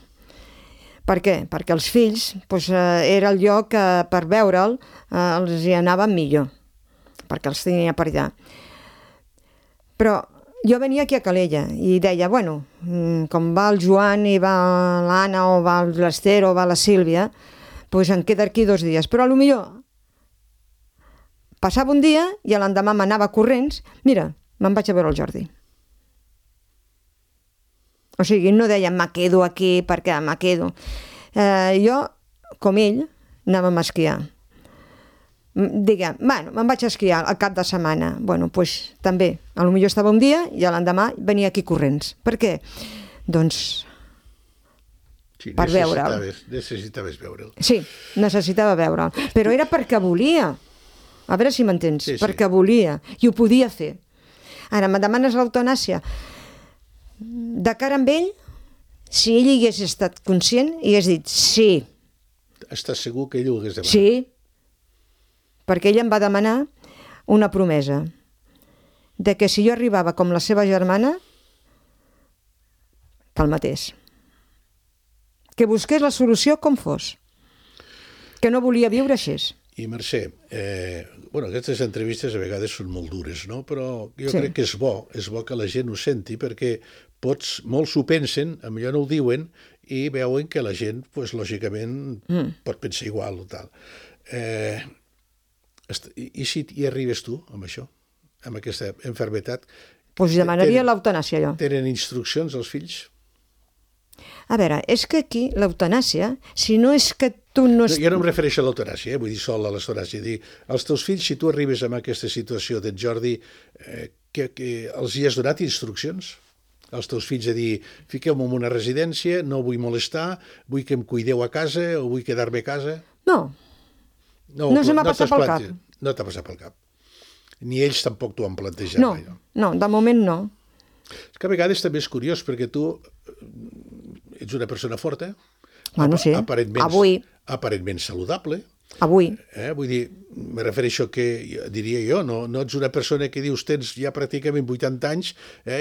Per què? Perquè els fills era el lloc que per veure'l els hi anava millor, perquè els tenia per allà. Però jo venia aquí a Calella i deia, bueno, com va el Joan i va l'Anna o va l'Ester o va la Sílvia, doncs em queda aquí 2 dies. Però potser passava un dia i l'endemà m'anava corrents, mira, me'n vaig a veure el Jordi. O sigui, no deia, me quedo aquí perquè me quedo. Jo, com ell, anàvem a esquiar. Diguem, bueno, me'n vaig a esquiar al cap de setmana. Bueno, doncs també, potser estava un dia i l'endemà venia aquí corrents. Per què? Doncs sí, per veure'l. Necessitaves veure'l. Sí, necessitava veure'l. Però era perquè volia. A veure si m'entens. Sí, perquè volia. I ho podia fer. Ara, me demanes l'eutanàsia. De cara amb ell, si ell hagués estat conscient, hagués dit sí. Estàs segur que ell ho hagués demanat? Sí. Perquè ell em va demanar una promesa de que si jo arribava com la seva germana, que el matés. Que busqués la solució com fos. Que no volia viure així. I Mercè, aquestes entrevistes a vegades són molt dures, no? Però jo crec que és bo que la gent ho senti, perquè molts ho pensen, millor no ho diuen, i veuen que la gent, lògicament, pot pensar igual o tal. I si hi arribes tu amb això, amb aquesta malaltia? Doncs demanaria l'eutanàsia jo. Tenen instruccions els fills? A veure, és que aquí l'eutanàsia, si no és que tu no... Jo no em refereixo a l'eutanàsia, vull dir sol a l'eutanàsia. Els teus fills, si tu arribes a aquesta situació d'en Jordi, que els hi has donat instruccions als teus fills de dir, fiqueu-me en una residència, no vull molestar, vull que em cuideu a casa o vull quedar-me a casa? No, no se m'ha passat pel cap. No t'ha passat pel cap. Ni ells tampoc t'ho han plantejat. No, no, de moment no. És que a vegades també és curiós, perquè tu ets una persona forta, Bueno, sí, aparentment saludable. Avui. Vull dir, me refereixo que, diria jo, no ets una persona que dius tens ja pràcticament 80 anys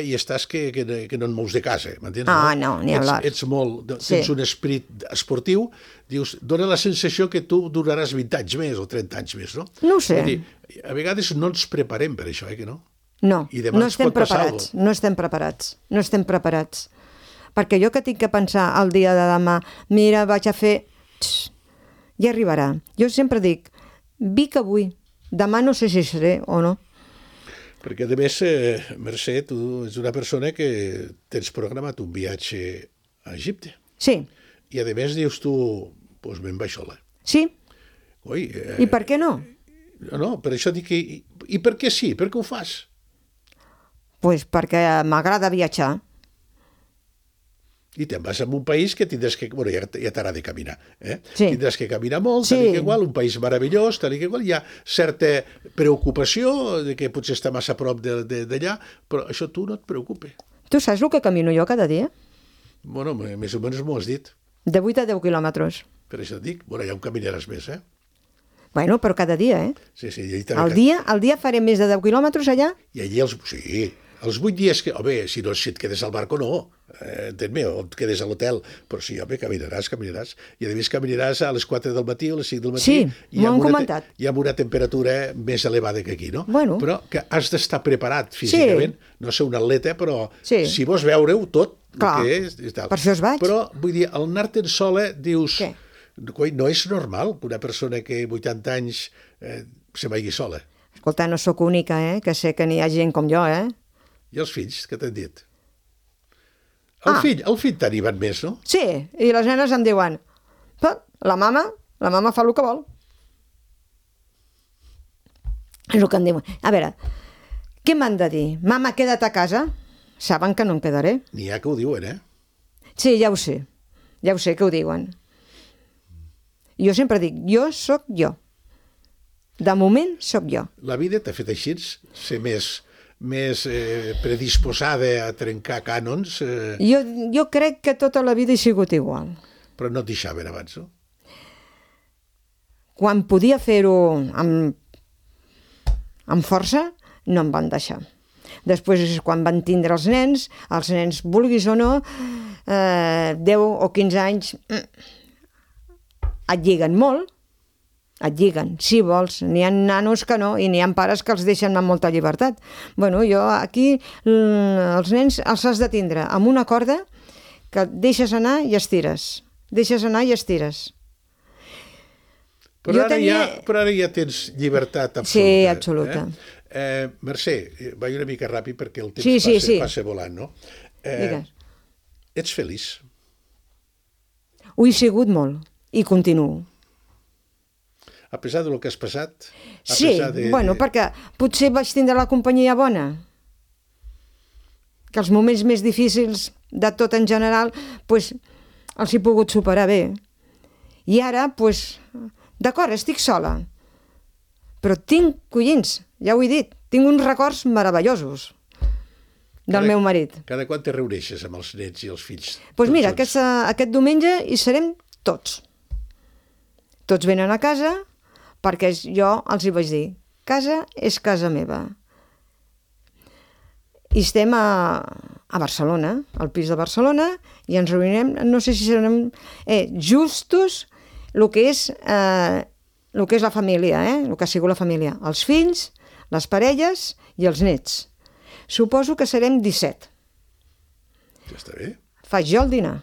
i estàs que no et mous de casa, m'entens? No, ni hablar. Ets molt, tens un esperit esportiu, dius, dona la sensació que tu duraràs 20 anys més o 30 anys més, no? No ho sé. Vull dir, a vegades no ens preparem per això, que no? No, I demà no estem preparats, no estem preparats. Perquè jo que tinc que pensar el dia de demà, mira, vaig a fer... ja arribarà. Jo sempre dic, vic avui, demà no sé si seré o no. Perquè, a més, Mercè, tu ets una persona que tens programat un viatge a Egipte. Sí. I, a més, dius tu, doncs me'n vaig sola. Sí. Ui, I per què no? No, per això dic que... I per què sí? Per què ho fas? Doncs perquè m'agrada viatjar. I te'n vas a un país que tindràs que... Bueno, ja t'agrada caminar, Sí. Tindràs que caminar molt, Sí. tal i que igual, un país meravellós, tal i que igual. Hi ha certa preocupació de que potser està massa a prop d'allà, però això tu no et preocupa. Tu saps el que camino jo cada dia? Bueno, més o menys m'ho has dit. De 8 a 10 quilòmetres. Per això et dic, bueno, ja ho caminaràs més, Bueno, però cada dia, Sí, sí. I també Al dia faré més de 10 quilòmetres allà? I allí sí, els 8 dies que... Home, si et quedes al barco, no. Entén-me, o et quedes a l'hotel. Però sí, home, caminaràs. I a més caminaràs a les 4 del matí o a les 5 del matí. Sí, m'ho han comentat. I amb una temperatura més elevada que aquí, no? Bueno. Però que has d'estar preparat físicament. Sí. No ser un atleta, però Sí. si vols veure-ho tot, Clar, el que és i tal. per això es vaig. Però, vull dir, al anar-te'n sola, dius... Què? Coi, no és normal que una persona que 80 anys se vagi sola. Escolta, no sóc única, que sé que n'hi ha gent com jo, I els fills, què t'han dit? El fill t'animen més, no? Sí, i les nenes em diuen, la mama fa el que vol. És el que em diuen. A veure, què m'han de dir? Mama, queda't a casa? Saben que no em quedaré. N'hi ha que ho diuen, Sí, ja ho sé que ho diuen. Jo sempre dic, jo sóc jo. De moment sóc jo. La vida t'ha fet així, ser més predisposada a trencar cànons, Jo crec que tota la vida he sigut igual. però no et deixaven abans, no? Quan podia fer-ho amb força, no em van deixar. Després, quan van tindre els nens, vulguis o no, 10 o 15 anys, et lliguen molt, et lliguen, si vols. N'hi ha nanos que no, i n'hi ha pares que els deixen amb molta llibertat. Bueno, jo aquí, els nens els has de tindre amb una corda que deixes anar i estires. Deixes anar i estires. Però ara ja tens llibertat absoluta. Sí, absoluta. Mercè, vaig una mica ràpid perquè el temps passa volant, no? Digues. Ets feliç? Ho he sigut molt, i continuo. A pesar del que has passat? Sí, bueno, perquè potser vaig tindre la companyia bona. Que els moments més difícils de tot en general, doncs, els he pogut superar bé. I ara, doncs, d'acord, estic sola. Però tinc, collins, ja ho he dit, tinc uns records meravellosos del meu marit. Cada quan te reuneixes amb els nets i els fills? Doncs mira, aquest diumenge hi serem tots. Tots venen a casa, perquè jo els hi vaig dir, casa és casa meva. I estem a Barcelona, al pis de Barcelona, i ens reunirem, no sé si serem justos el que és la família, el que ha sigut la família. Els fills, les parelles i els nets. Suposo que serem 17. Ja està bé. Faig jo el dinar.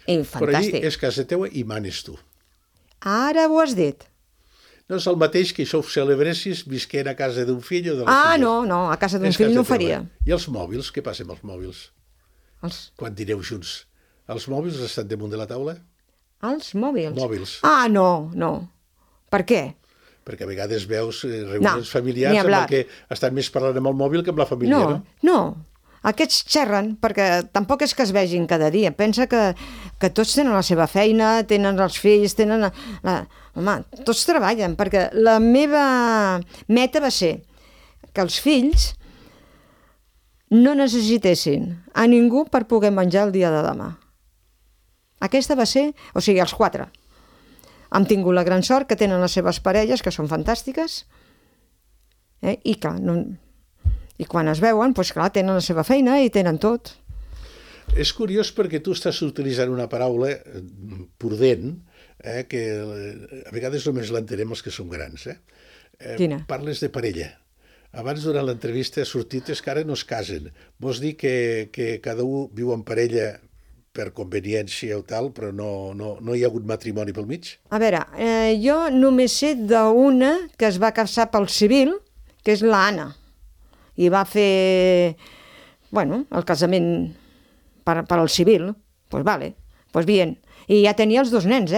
I fantàstic. Però allí és casa teua i manes tu. Ara ho has dit. No és el mateix que això ho celebressis visquent a casa d'un fill o de les filles. No, a casa d'un fill no ho faria. I els mòbils? Què passa amb els mòbils? Quan dineu junts? Els mòbils estan damunt de la taula? Els mòbils? Mòbils. No. Per què? Perquè a vegades veus reunions familiars ni amb hablar. el que estan més parlant amb el mòbil que amb la família, no? No. Aquests xerren perquè tampoc és que es vegin cada dia. Pensa que tots tenen la seva feina, tenen els fills, tenen... Home, tots treballen, perquè la meva meta va ser que els fills no necessitessin a ningú per poder menjar el dia de demà. Aquesta va ser... O sigui, els 4. Hem tingut la gran sort que tenen les seves parelles, que són fantàstiques, i clar, i quan es veuen, doncs clar, tenen la seva feina i tenen tot. És curiós perquè tu estàs utilitzant una paraula prudent, que a vegades només l'entenem els que som grans. Quina? Parles de parella. Abans, durant l'entrevista, ha sortit que ara no es casen. Vols dir que cada un viu en parella per conveniència o tal, però no hi ha hagut matrimoni pel mig? A veure, jo només sé d'una que es va casar pel civil, que és l'Anna, i va fer, el casament per al civil. Pues vale, pues bien. I ja tenia els 2 nens,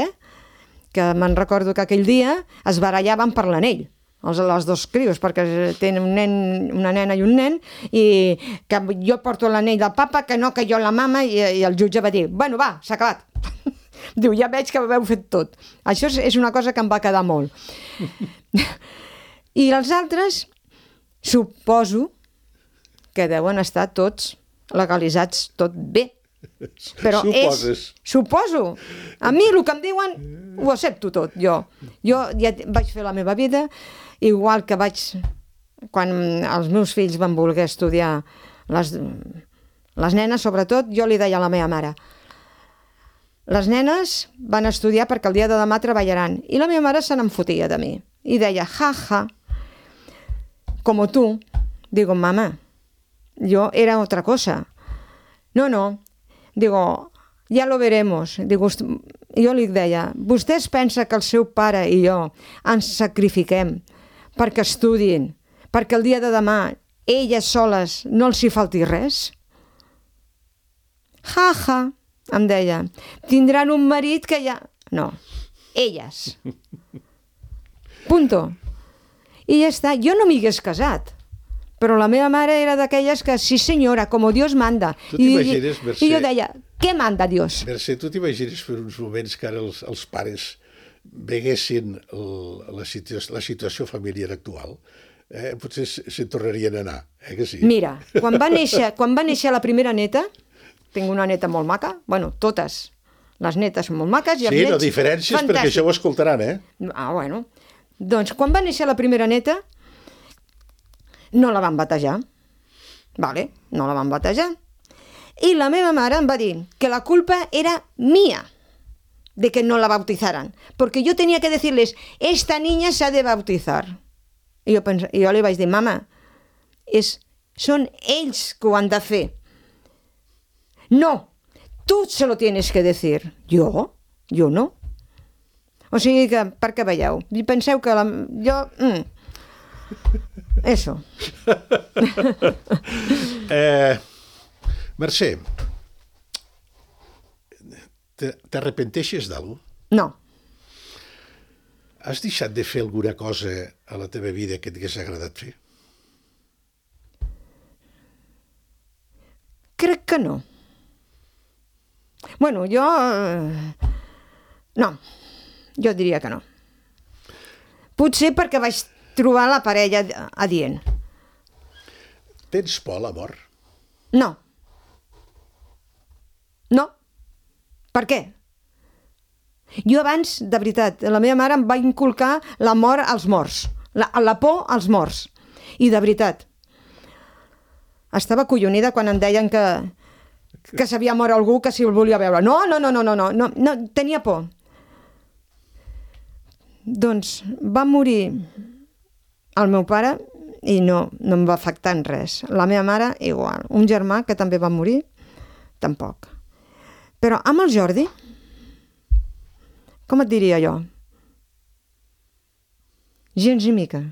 que me'n recordo que aquell dia es barallaven per l'anell, els 2 crios, perquè tenen una nena i un nen, i que jo porto l'anell del papa, que no, que jo la mama, i el jutge va dir, bueno, va, s'ha acabat. Diu, ja veig que ho heu fet tot. Això és una cosa que em va quedar molt. I els altres, suposo que deuen estar tots legalitzats, tot bé. Però suposo. A mi el que em diuen ho accepto tot, jo. Jo ja vaig fer la meva vida, igual que quan els meus fills van voler estudiar, les nenes sobretot, jo li deia a la meva mare, les nenes van estudiar perquè el dia de demà treballaran, i la meva mare se n'en fotia de mi, i deia, jaja, como tú. Digo, mamá, yo era otra cosa. No, digo, ya lo veremos. Digo, jo li deia, vostès pensa que el seu pare i jo ens sacrifiquem perquè estudin, perquè el dia de demà elles soles no els hi falti res? Ja, em deia, tindran un marit que ja... No, elles. Punto. I ja està, jo no m'hi hagués casat, però la meva mare era d'aquelles que, sí senyora, com Dios manda. Tu t'imagines, Mercè... I jo deia, què manda Dios? Mercè, tu t'imagines per uns moments que ara els pares veguessin la situació familiar actual? Potser se'n tornarien a anar, que sí? Mira, quan va néixer la primera neta, tinc una neta molt maca, totes les netes són molt maques i els nets... Sí, no diferències, fantàstic. Perquè això ho escoltaran, Doncs quan va néixer la primera neta, no la van batejar. Vale, no la van batejar. I la meva mare em va dir que la culpa era mía de que no la bautizaran, porque yo tenía que decirles, esta niña se ha de bautizar. I jo li vaig dir, mama, són ells que ho han de fer. No, tú se lo tienes que decir. Jo no. O sigui que, per què veieu? Penseu que jo... Eso. Mercè, t'arrepenteixes d'algú? No. Has deixat de fer alguna cosa a la teva vida que t'hagués agradat fer? Crec que no. Jo... No. Jo diria que no. Potser perquè vaig trobar la parella adient. Tens por a la mort? No. No. Per què? Jo abans, de veritat, la meva mare em va inculcar la mort als morts, la por als morts. I de veritat, estava acollonida quan em deien que s'havia mort algú, que si el volia veure. No, tenia por. Doncs va morir el meu pare i no em va afectar en res. La meva mare, igual. Un germà que també va morir, tampoc. Però amb el Jordi, com et diria jo? Gens ni mica.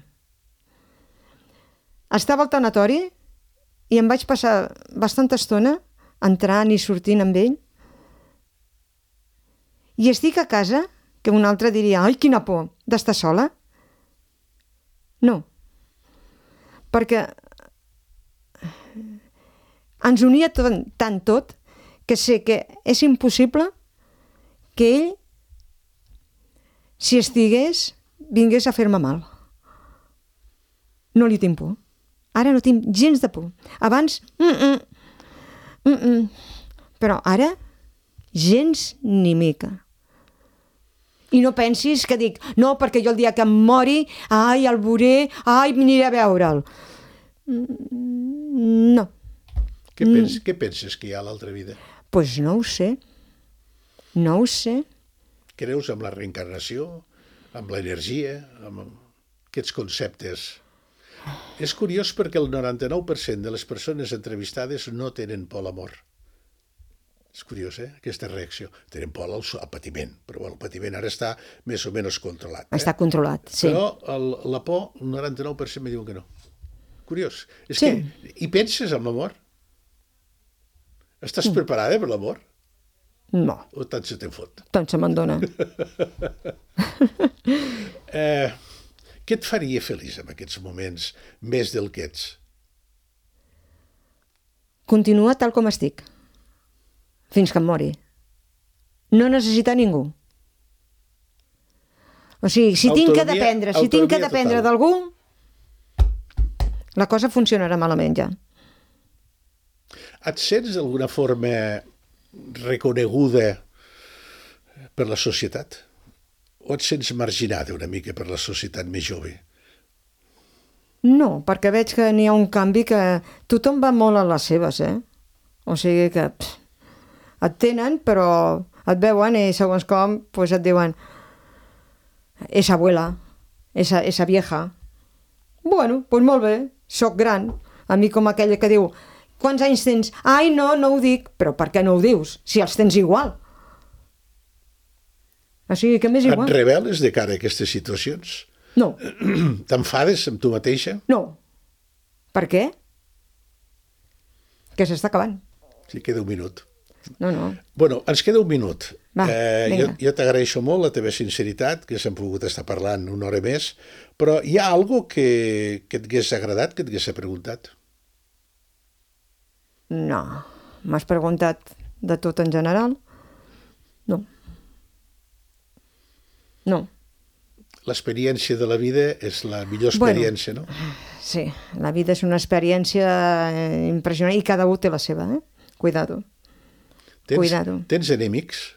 Estava al tanatori i em vaig passar bastanta estona entrant i sortint amb ell. I estic a casa, que un altre diria, ai, quina por, d'estar sola. No. Perquè ens unia tant tot que sé que és impossible que ell, si estigués, vingués a fer-me mal. No li tinc por. Ara no tinc gens de por. Abans, però ara, gens ni mica. I no pensis que dic, no, perquè jo el dia que em mori, ai, el veuré, ai, m'aniré a veure'l. No. Què penses que hi ha a l'altra vida? Doncs no ho sé. No ho sé. Creus en la reencarnació, amb l'energia, amb aquests conceptes? És curiós perquè el 99% de les persones entrevistades no tenen por a la mort. És curiós, aquesta reacció. Tenen por al patiment, però el patiment ara està més o menys controlat. Està controlat, sí. Però la por, el 99% me diuen que no. Curiós. És que, hi penses en la mort? Estàs preparada per la mort? No. O tant se te'n fot? Tant se me'n dona. Què et faria feliç en aquests moments, més del que ets? Continua tal com estic. Fins que em mori. No necessitar ningú. O sigui, si tinc que dependre d'algú, la cosa funcionarà malament ja. Et sents d'alguna forma reconeguda per la societat? O et sents marginada una mica per la societat més jove? No, perquè veig que n'hi ha un canvi que tothom va molt a les seves, O sigui que et tenen, però et veuen i segons com pues et diuen esa abuela, esa vieja. Bueno, pues molt bé, soc gran. A mi com aquella que diu, quants anys tens? Ai, no ho dic. Però per què no ho dius? Si els tens igual. O sigui que m'és igual. Et rebel·les de cara a aquestes situacions? No. T'enfades amb tu mateixa? No. Per què? Que s'està acabant. Sí, queda un minut. No. Bueno, ens queda un minut. Va, jo t'agraeixo molt la teva sinceritat, que s'hem pogut estar parlant una hora més, però hi ha alguna cosa que et hagués agradat, que et hagués preguntat? No. M'has preguntat de tot en general? No. L'experiència de la vida és la millor experiència, no? Sí, la vida és una experiència impressionant i cada un té la seva, Cuidado. Tens enemics?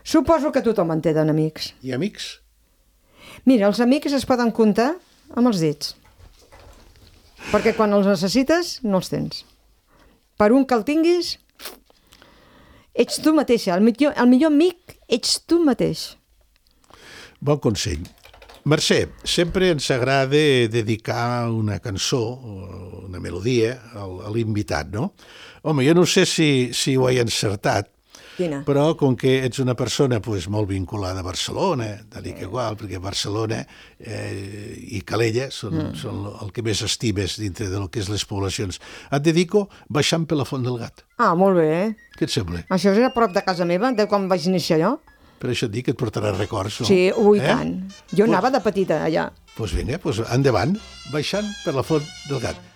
Suposo que tothom en té d'enemics. I amics? Mira, els amics es poden comptar amb els dits. Perquè quan els necessites, no els tens. Per un que el tinguis, ets tu mateixa. El millor amic ets tu mateix. Bon consell. Mercè, sempre ens agrada dedicar una cançó o una melodia a l'invitat, no? Home, jo no sé si ho he encertat, Quina? Però com que ets una persona molt vinculada a Barcelona, tal que igual, perquè Barcelona i Calella són el que més estimes dintre del que és les poblacions, et dedico Baixant per la Font del Gat. Ah, molt bé. Què et sembla? Això és a prop de casa meva, de quan vaig néixer jo. Per això et dic que et portarà records, no? Sí, ui, tant. Jo anava de petita allà. Doncs vinga, endavant, Baixant per la Font del Gat.